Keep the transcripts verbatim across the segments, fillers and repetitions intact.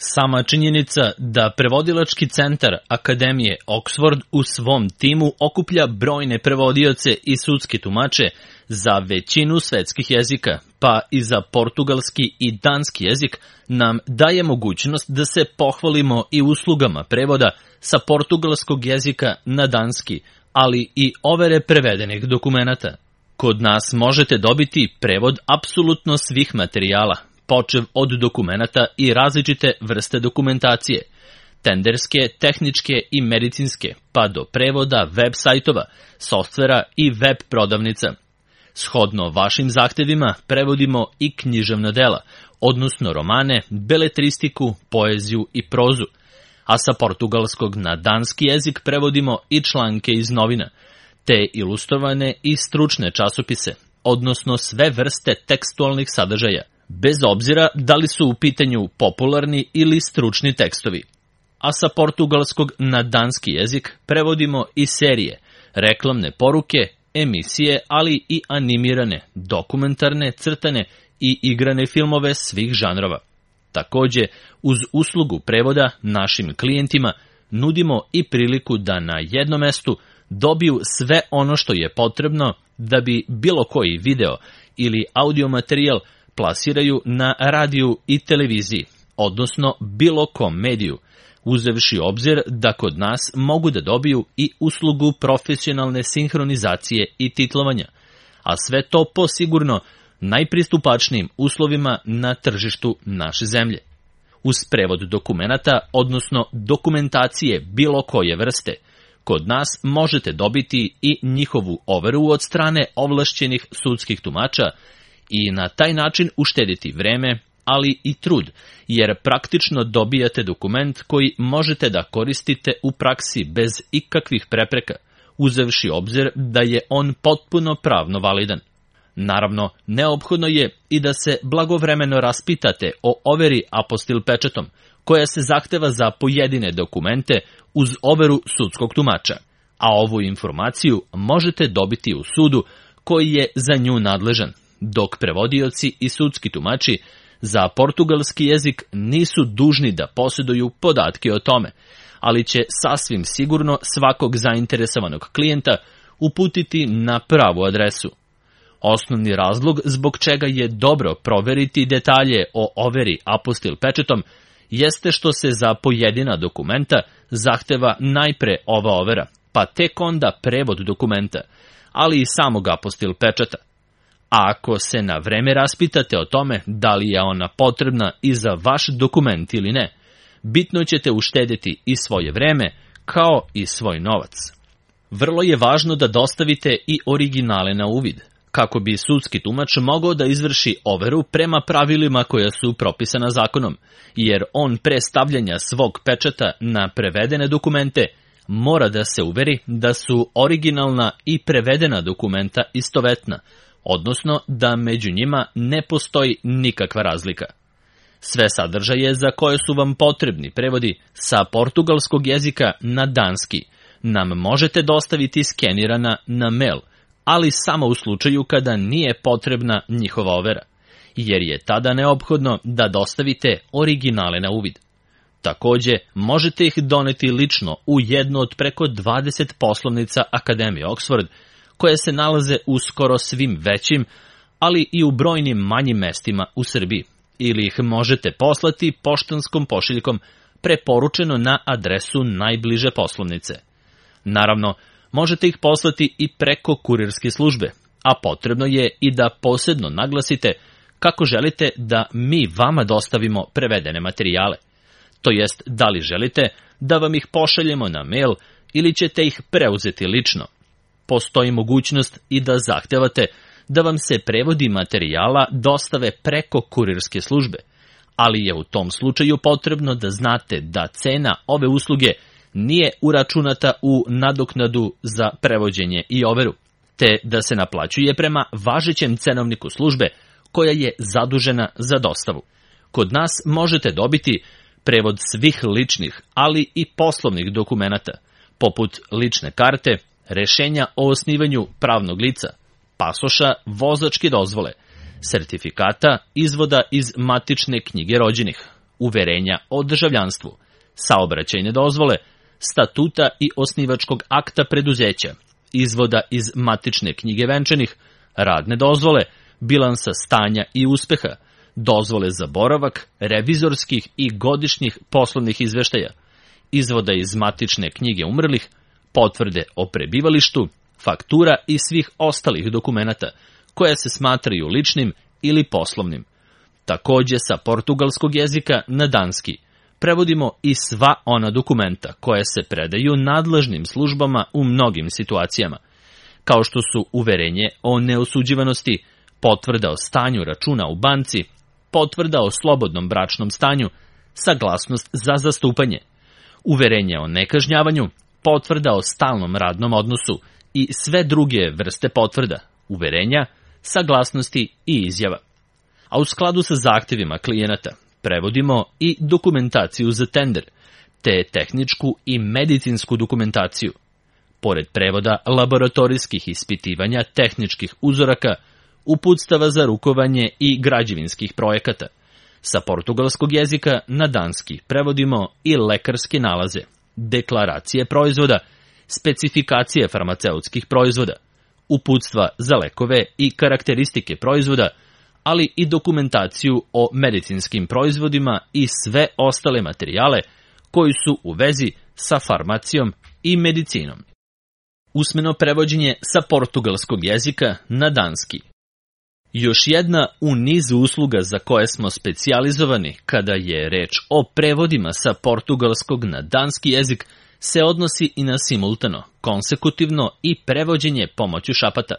Sama činjenica da prevodilački centar Akademije Oxford u svom timu okuplja brojne prevodioce i sudske tumače za većinu svetskih jezika, pa i za portugalski i danski jezik, nam daje mogućnost da se pohvalimo i uslugama prevoda sa portugalskog jezika na danski, ali i overe prevedenih dokumenata. Kod nas možete dobiti prevod apsolutno svih materijala, počev od dokumenata i različite vrste dokumentacije, tenderske, tehničke i medicinske, pa do prevoda web sajtova, softvera i web prodavnica. Shodno vašim zahtevima prevodimo i književna dela, odnosno romane, beletristiku, poeziju i prozu, a sa portugalskog na danski jezik prevodimo i članke iz novina, te ilustrovane i stručne časopise, odnosno sve vrste tekstualnih sadržaja, bez obzira da li su u pitanju popularni ili stručni tekstovi. A sa portugalskog na danski jezik prevodimo i serije, reklamne poruke, emisije, ali i animirane, dokumentarne, crtane i igrane filmove svih žanrova. Takođe, uz uslugu prevoda našim klijentima nudimo i priliku da na jednom mestu dobiju sve ono što je potrebno da bi bilo koji video ili audio materijal plasiraju na radiju i televiziji, odnosno bilo kom mediju, uzevši obzir da kod nas mogu da dobiju i uslugu profesionalne sinhronizacije i titlovanja, a sve to po sigurno najpristupačnijim uslovima na tržištu naše zemlje. Uz prevod dokumenata, odnosno dokumentacije bilo koje vrste, kod nas možete dobiti i njihovu overu od strane ovlašćenih sudskih tumača i na taj način uštediti vreme, ali i trud, jer praktično dobijate dokument koji možete da koristite u praksi bez ikakvih prepreka, uzevši obzir da je on potpuno pravno validan. Naravno, neophodno je i da se blagovremeno raspitate o overi apostil pečatom, koja se zahteva za pojedine dokumente uz overu sudskog tumača, a ovu informaciju možete dobiti u sudu koji je za nju nadležan, dok prevodioci i sudski tumači za portugalski jezik nisu dužni da posjeduju podatke o tome, ali će sasvim sigurno svakog zainteresovanog klijenta uputiti na pravu adresu. Osnovni razlog zbog čega je dobro proveriti detalje o overi apostil pečatom jeste što se za pojedina dokumenta zahteva najpre ova overa, pa tek onda prevod dokumenta, ali i samog apostil pečata. A ako se na vreme raspitate o tome da li je ona potrebna i za vaš dokument ili ne, bitno ćete uštediti i svoje vreme, kao i svoj novac. Vrlo je važno da dostavite i originale na uvid, kako bi sudski tumač mogao da izvrši overu prema pravilima koja su propisana zakonom, jer on pre stavljanja svog pečata na prevedene dokumente mora da se uveri da su originalna i prevedena dokumenta istovetna, odnosno da među njima ne postoji nikakva razlika. Sve sadržaje za koje su vam potrebni prevodi sa portugalskog jezika na danski nam možete dostaviti skenirana na mail, ali samo u slučaju kada nije potrebna njihova overa, jer je tada neophodno da dostavite originale na uvid. Takođe, možete ih doneti lično u jednu od preko dvadeset poslovnica Akademije Oxford, koje se nalaze u skoro svim većim, ali i u brojnim manjim mestima u Srbiji, ili ih možete poslati poštanskom pošiljkom preporučeno na adresu najbliže poslovnice. Naravno, možete ih poslati i preko kurirske službe, a potrebno je i da posebno naglasite kako želite da mi vama dostavimo prevedene materijale. To jest, da li želite da vam ih pošaljemo na mail ili ćete ih preuzeti lično. Postoji mogućnost i da zahtevate da vam se prevodi materijala dostave preko kurirske službe, ali je u tom slučaju potrebno da znate da cena ove usluge nije uračunata u nadoknadu za prevođenje i overu, te da se naplaćuje prema važećem cenovniku službe koja je zadužena za dostavu. Kod nas možete dobiti prevod svih ličnih, ali i poslovnih dokumenata, poput lične karte, rešenja o osnivanju pravnog lica, pasoša, vozačke dozvole, sertifikata, izvoda iz matične knjige rođenih, uverenja o državljanstvu, saobraćajne dozvole, statuta i osnivačkog akta preduzeća, izvoda iz matične knjige venčanih, radne dozvole, bilansa stanja i uspeha, dozvole za boravak, revizorskih i godišnjih poslovnih izveštaja, izvoda iz matične knjige umrlih, potvrde o prebivalištu, faktura i svih ostalih dokumenata koje se smatraju ličnim ili poslovnim. Takođe sa portugalskog jezika na danski prevodimo i sva ona dokumenta koje se predaju nadležnim službama u mnogim situacijama, kao što su uverenje o neosuđivanosti, potvrda o stanju računa u banci, potvrda o slobodnom bračnom stanju, saglasnost za zastupanje, uverenje o nekažnjavanju, potvrda o stalnom radnom odnosu i sve druge vrste potvrda, uverenja, saglasnosti i izjava. A u skladu sa zahtevima klijenata prevodimo i dokumentaciju za tender, te tehničku i medicinsku dokumentaciju. Pored prevoda laboratorijskih ispitivanja tehničkih uzoraka, uputstava za rukovanje i građevinskih projekata. Sa portugalskog jezika na danski prevodimo i lekarske nalaze, deklaracije proizvoda, specifikacije farmaceutskih proizvoda, uputstva za lekove i karakteristike proizvoda, ali i dokumentaciju o medicinskim proizvodima i sve ostale materijale koji su u vezi sa farmacijom i medicinom. Usmeno prevođenje sa portugalskog jezika na danski. Još jedna u nizu usluga za koje smo specijalizovani kada je reč o prevodima sa portugalskog na danski jezik se odnosi i na simultano, konsekutivno i prevođenje pomoću šapata.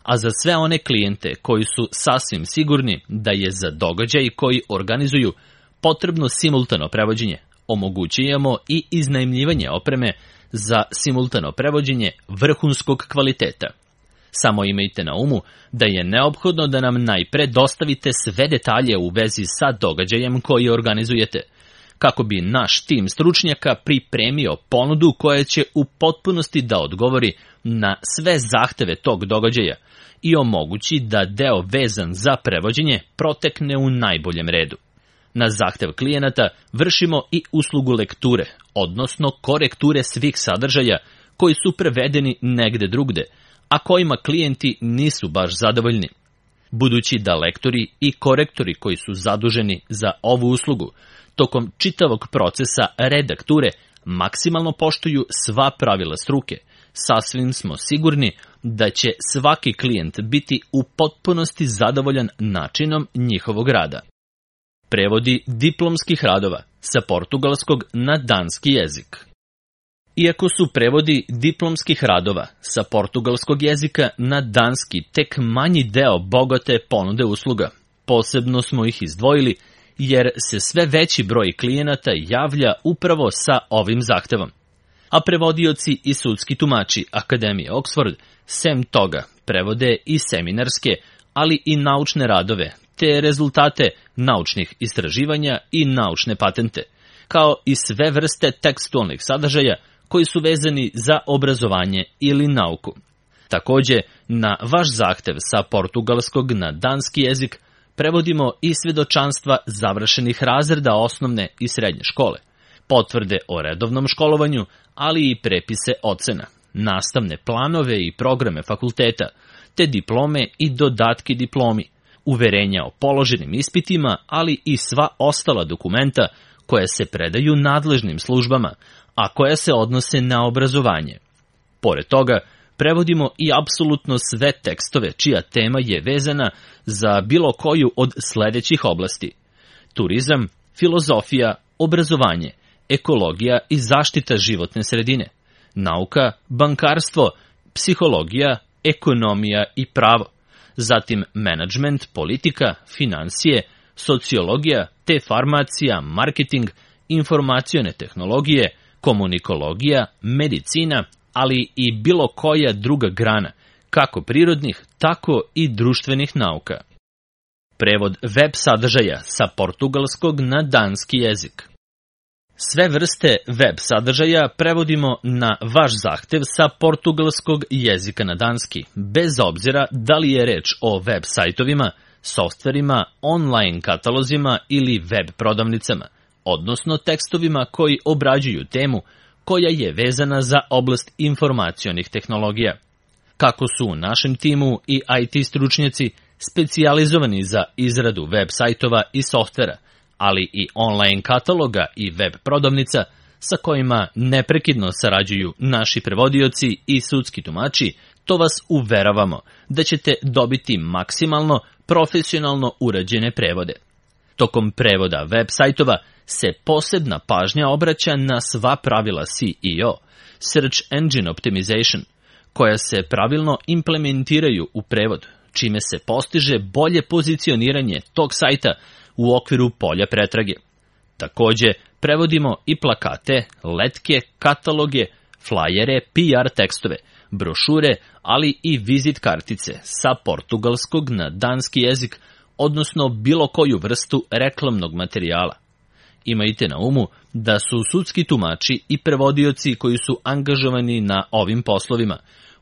A za sve one klijente koji su sasvim sigurni da je za događaj koji organizuju potrebno simultano prevođenje, omogućujemo i iznajmljivanje opreme za simultano prevođenje vrhunskog kvaliteta. Samo imajte na umu da je neophodno da nam najpre dostavite sve detalje u vezi sa događajem koji organizujete, kako bi naš tim stručnjaka pripremio ponudu koja će u potpunosti da odgovori na sve zahteve tog događaja i omogući da deo vezan za prevođenje protekne u najboljem redu. Na zahtev klijenata vršimo i uslugu lekture, odnosno korekture svih sadržaja koji su prevedeni negde drugde, a kojima klijenti nisu baš zadovoljni. Budući da lektori i korektori koji su zaduženi za ovu uslugu tokom čitavog procesa redakture maksimalno poštuju sva pravila struke, sasvim smo sigurni da će svaki klijent biti u potpunosti zadovoljan načinom njihovog rada. Prevodi diplomskih radova sa portugalskog na danski jezik. Iako su prevodi diplomskih radova sa portugalskog jezika na danski tek manji deo bogate ponude usluga, posebno smo ih izdvojili jer se sve veći broj klijenata javlja upravo sa ovim zahtevom. A prevodioci i sudski tumači Akademije Oxford, sem toga, prevode i seminarske, ali i naučne radove, te rezultate naučnih istraživanja i naučne patente, kao i sve vrste tekstualnih sadržaja koji su vezani za obrazovanje ili nauku. Takođe, na vaš zahtev sa portugalskog na danski jezik prevodimo i svedočanstva završenih razreda osnovne i srednje škole, potvrde o redovnom školovanju, ali i prepise ocena, nastavne planove i programe fakulteta, te diplome i dodatke diplomi, uverenja o položenim ispitima, ali i sva ostala dokumenta koja se predaju nadležnim službama, a koja se odnose na obrazovanje. Pored toga, prevodimo i apsolutno sve tekstove čija tema je vezana za bilo koju od sledećih oblasti: turizam, filozofija, obrazovanje, ekologija i zaštita životne sredine, nauka, bankarstvo, psihologija, ekonomija i pravo, zatim menadžment, politika, finansije, sociologija, te farmacija, marketing, informacione tehnologije, komunikologija, medicina, ali i bilo koja druga grana, kako prirodnih, tako i društvenih nauka. Prevod web sadržaja sa portugalskog na danski jezik. Sve vrste web sadržaja prevodimo na vaš zahtev sa portugalskog jezika na danski, bez obzira da li je reč o web sajtovima, softverima, online katalozima ili web prodavnicama, odnosno tekstovima koji obrađuju temu koja je vezana za oblast informacionih tehnologija. Kako su u našem timu i I T stručnjaci specijalizovani za izradu web sajtova i softvera, ali i online kataloga i web prodavnica sa kojima neprekidno sarađuju naši prevodioci i sudski tumači, to vas uveravamo da ćete dobiti maksimalno profesionalno urađene prevode. Tokom prevoda web sajtova se posebna pažnja obraća na sva pravila S E O, Search Engine Optimization, koja se pravilno implementiraju u prevod, čime se postiže bolje pozicioniranje tog sajta u okviru polja pretrage. Takođe, prevodimo i plakate, letke, kataloge, flajere, P R tekstove, brošure, ali i vizit kartice sa portugalskog na danski jezik, odnosno bilo koju vrstu reklamnog materijala. Imajte na umu da su sudski tumači i prevodioci koji su angažovani na ovim poslovima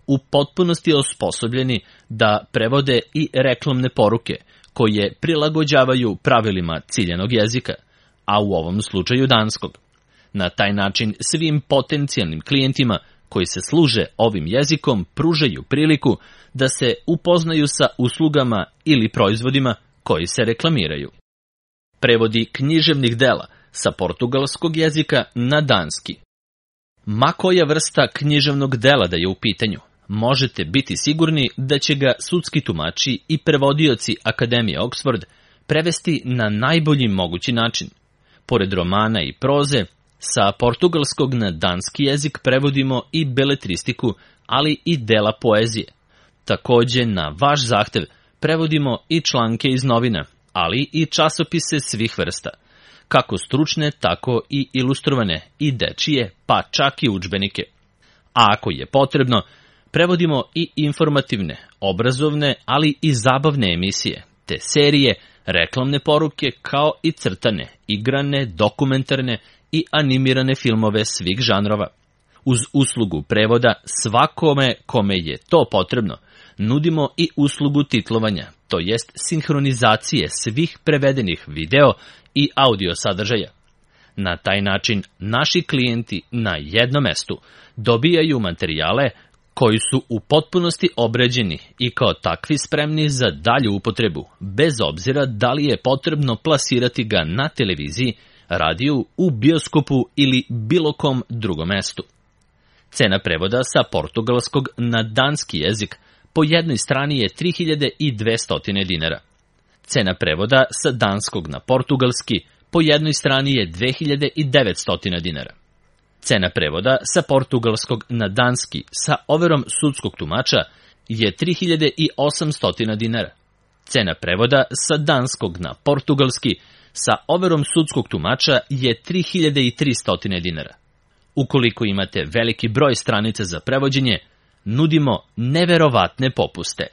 u potpunosti osposobljeni da prevode i reklamne poruke koje prilagođavaju pravilima ciljanog jezika, a u ovom slučaju danskog. Na taj način svim potencijalnim klijentima koji se služe ovim jezikom pružaju priliku da se upoznaju sa uslugama ili proizvodima koji se reklamiraju. Prevodi književnih dela sa portugalskog jezika na danski. Ma koja vrsta književnog dela da je u pitanju, možete biti sigurni da će ga sudski tumači i prevodioci Akademije Oxford prevesti na najbolji mogući način. Pored romana i proze, sa portugalskog na danski jezik prevodimo i beletristiku, ali i dela poezije. Takođe, na vaš zahtev prevodimo i članke iz novina, ali i časopise svih vrsta, kako stručne, tako i ilustrovane, i dečije, pa čak i udžbenike. A ako je potrebno, prevodimo i informativne, obrazovne, ali i zabavne emisije, te serije, reklamne poruke, kao i crtane, igrane, dokumentarne i animirane filmove svih žanrova. Uz uslugu prevoda svakome kome je to potrebno, nudimo i uslugu titlovanja, to jest sinhronizacije svih prevedenih video i audio sadržaja. Na taj način naši klijenti na jednom mestu dobijaju materijale koji su u potpunosti obrađeni i kao takvi spremni za dalju upotrebu, bez obzira da li je potrebno plasirati ga na televiziji, radiju, u bioskopu ili bilo kom drugom mestu. Cena prevoda sa portugalskog na danski jezik po jednoj strani je tri hiljade dvesta dinara. Cena prevoda sa danskog na portugalski po jednoj strani je dve hiljade devetsto dinara. Cena prevoda sa portugalskog na danski sa overom sudskog tumača je tri hiljade osamsto dinara. Cena prevoda sa danskog na portugalski sa overom sudskog tumača je tri hiljade tristo dinara. Ukoliko imate veliki broj stranica za prevođenje, nudimo neverovatne popuste.